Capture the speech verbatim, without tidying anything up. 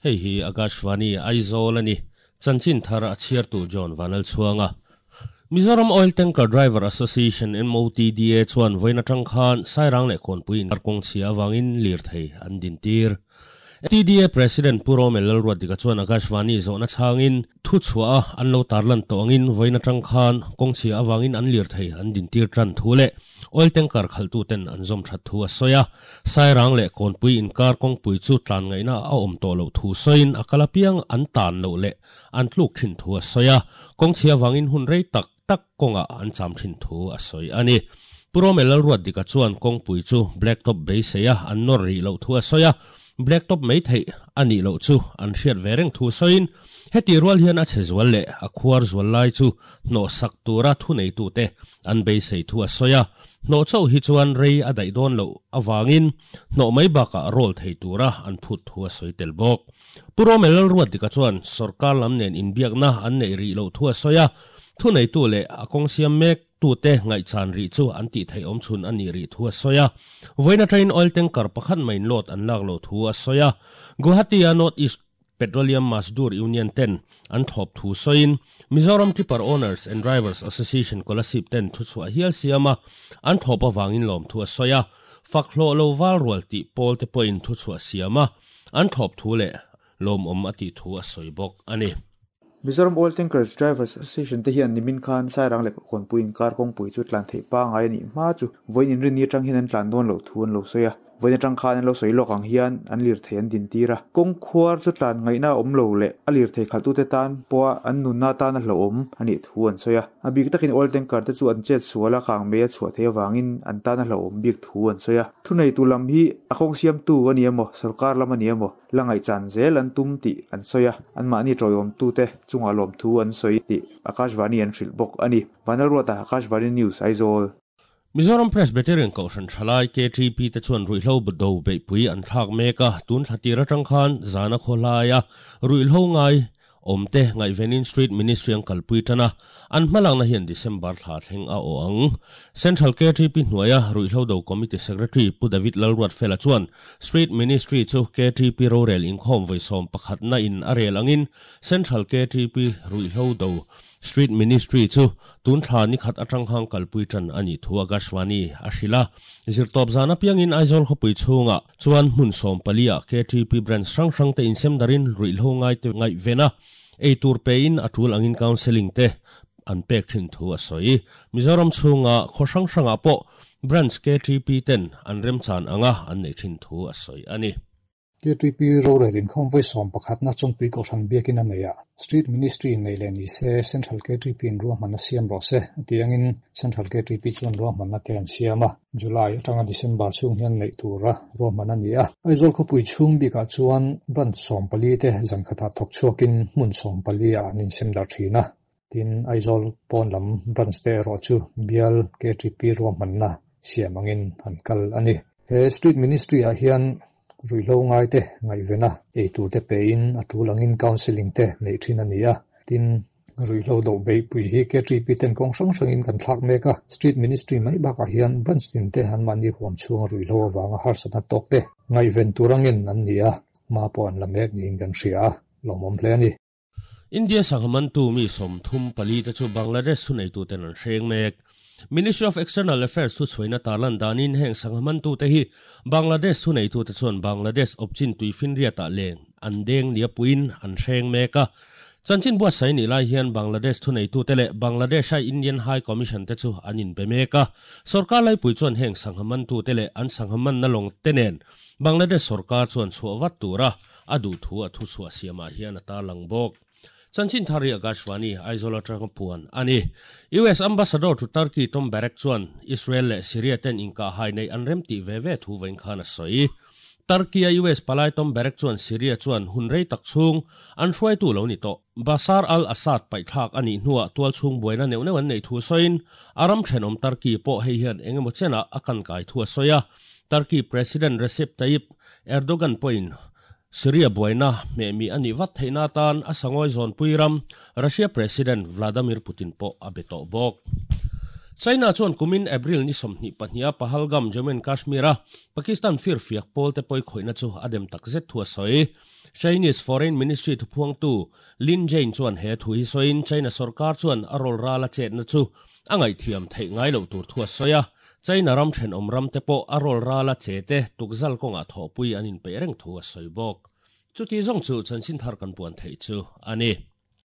Hei hi Akashvani Aizawl ani chanchin thar a chhiar tu John Vanal chuanga Mizoram Oil Tanker Driver Association M O T D A chuan voina tang khan Sairang leh Kawnpui in kawng chhia awangin lir thei an din tir. T D A President Puro Melal Ruatika chuan Akashvani zawhna chhangin thu chhuah an lo tarlan tawngin voina tang khan kawng chhia awangin an lir thei an din tir tan thu le oil tanker khaltu ten an zawm that thu a soya Sairang leh Kawnpui inkar kawngpui chu tlan ngaina a awm tawh lo thu soin akalapiang an tan lo le an tluk thin thu a soya kawng chhia awangin hun rei tak tak konga an cham thin thu a soi ani. Puro Melal Ruatika chuan kawngpui chu blacktop beiseia an nawr ri lo thu a soya blacktop mai thei ani lo chu an hriat vereng thu soin heti rual hian a che zual le a khuar zual lai chu hno sak tura thu nei tu te an beisei thu a soya hno chau hi chuan rei a dai dawn lo awangin hno mai baka roll thei tura an phut thu a soi tel bawk. Puro Melal Ruatika chuan sarkar lam nen inbiakna an nei ri lo thu a soya thu nei tu le a kawng siam mek tu te ngai chan ri chu an ti thei awm chhun ani ri thu a soya voina train oil tanker pakhat main lot an lak lo thu a soya Guwahati a North East Petroleum Mazdoor Union ten an thop thu soin Mizoram Tipper Owners and Drivers Association Kolasib ten thu chhuah hial siama an thop awangin lawm thu a soya fakhlo lo wal rual ti pawl te point thu chhuah siama an thop thu le lawm awm ati thu a soi bawk ani. Mizoram Oil Tankers Drivers Association te hian nimin khan Sairang leh Kawnpui inkar kawngpui chu tlan thei pa ngai ani hma chu voin in rin ni atang hian an tlan dawn lo thu an lo soya voin atang khan an lo soi lawk ang hian an lir thei an din tira kawng khuar chu tlan ngaina awm lo le a lir thei khaltu te tan pawh an nunna tan a hlo awm ani thu an soya a bik takin oil tanker te chu an chet suala kang me a chhuah thei awangin an tan a hlo awm bik thu an soya thu nei tu lam hi a kawng siam tu ani emaw sarkar lam ani emaw la ngai chan zel an tum ti an soya an mahni tawihawm tu te chunga lawm thu an soi ti Akashvani an hrilh bawk ani. Vanal Ruata, Akashvani News, Aizawl. Mizoram Presbyterian Kohhran Thalai K T P te chuan ruihhlo do beihpui an thlak mek a tun thla atang khan zana khawlaia ruihhlo ngai awmte ngaivenin Street Ministry an kalpui tana an hmalakna hian December thla thleng a aw ang. Central K T P hnuaia ruihhlo do Committee Secretary Pu David Lalruat Fela chuan Street Ministry chu K T P rorel inkhawm vawisawm pakhatna in a rel angin Central K T P ruihhlo do Street Ministry chu tun thla ni khat atang hang kalpui tan ani thu Akashvani a hrila zirtawp zana piangin Aizawl khawpui chhunga chuan hmun sawm palia K T P branch hrang hrang te insem darin ruihhlo ngai te ngaihvena ei tur pe in a tul angin counselling te an pek thin thu a sawi. Mizoram chhunga khaw hrang hranga pawh branch K T P ten an remchan anga an nei thin thu a sawi ani. K T P rorel inkhawm vawisawm pakhatna chawngpui kohhran biakin a nei a Street Ministry nei leh ni se Central K T P in ruahmanna siam rawh se atiangin Central K T P chuan ruahmanna te an siam a July atanga December chhung hian neih tura ruahman ani a Aizawl khawpui chhung bikah chuan branch sawm pali te zan khatah thawk chhuakin hmun sawm pali ah an insem dar thin a tin Aizawl pawn lam branch te erawh chu bial K T P ruahmanna siam angin an kal ani. He Street Ministry ah hian ruihhlo ngai te ngaihvena ei tur te pe in a tul angin counselling te nei thin ani a tin ruihhlo do beihpui hi K T P ten kawng hrang hrangin kan thlak mek a Street Ministry mai bakah hian branch tin te an mahni huam chhunga ruihhlo awanga harsatna tawk te ngaihven tur angin an ni a hma pawh an la mek niin kan hria a lawmawm hle ani. India sanghamantu mi sawm thum pali te chu Bangladesh thu nei tu ten an hreng mek. Ministry of External Affairs thu chhuaina tarlan danin heng sanghamantu te hi Bangladesh thu nei tu te chuan Bangladesh opchin tuifinriat ah leng an deng nia puin an hreng mek a chanchin buatsaih ni lai hian Bangladesh thu nei tu te leh Bangladesh a Indian High Commission te chu an inbe mek a sarkar laipui chuan heng sanghamantu te leh an sanghaman na lawng te nen Bangladesh sarkar chuan chhuah vat tura a duh thu a thu chhuah siamah hian a tarlang bawk. Chanchin thari Akashvani Aizawl atanga puan ani. U S Ambassador to Turkey Tom Barrack chuan Israel leh Syria ten inka hai nei an rem ti ve ve thu vein khan a sawi. Turkey a U S palai Tom Barrack chuan Syria chuan hun rei tak chhung an hruai tu lo ni to Bashar al-Assad paithlak ani hnuah tual chhung buaina neuh neuh an nei thu sawiin aram thenawm Turkey pawh hei hian engemaw chena a kan kai thu a sawi a. Turkey President Recep Tayyip Erdogan pawhin Syria buaina me mi ani vat theina tan a sangoi zon puiram Russia President Vladimir Putin pawh a be tawh bawk. China chuan kumin April ni sawmhnih pahniha Pahalgam Jammu and Kashmir a Pakistan firfiak pawl te pawi khawihna chu a dem takzet thu a sawi. Chinese Foreign Ministry thu phuang tu Lin Jane chuan he thu hi soin China sarkar chuan a rol ra la chet na chu angai thiam thei ngai lo tur thua soya China ram then om ram te po a rol ra la che te tukzal konga thopui anin pe reng thu a soibok chu ti zong chu chanchin thar kan puan thei chu ani.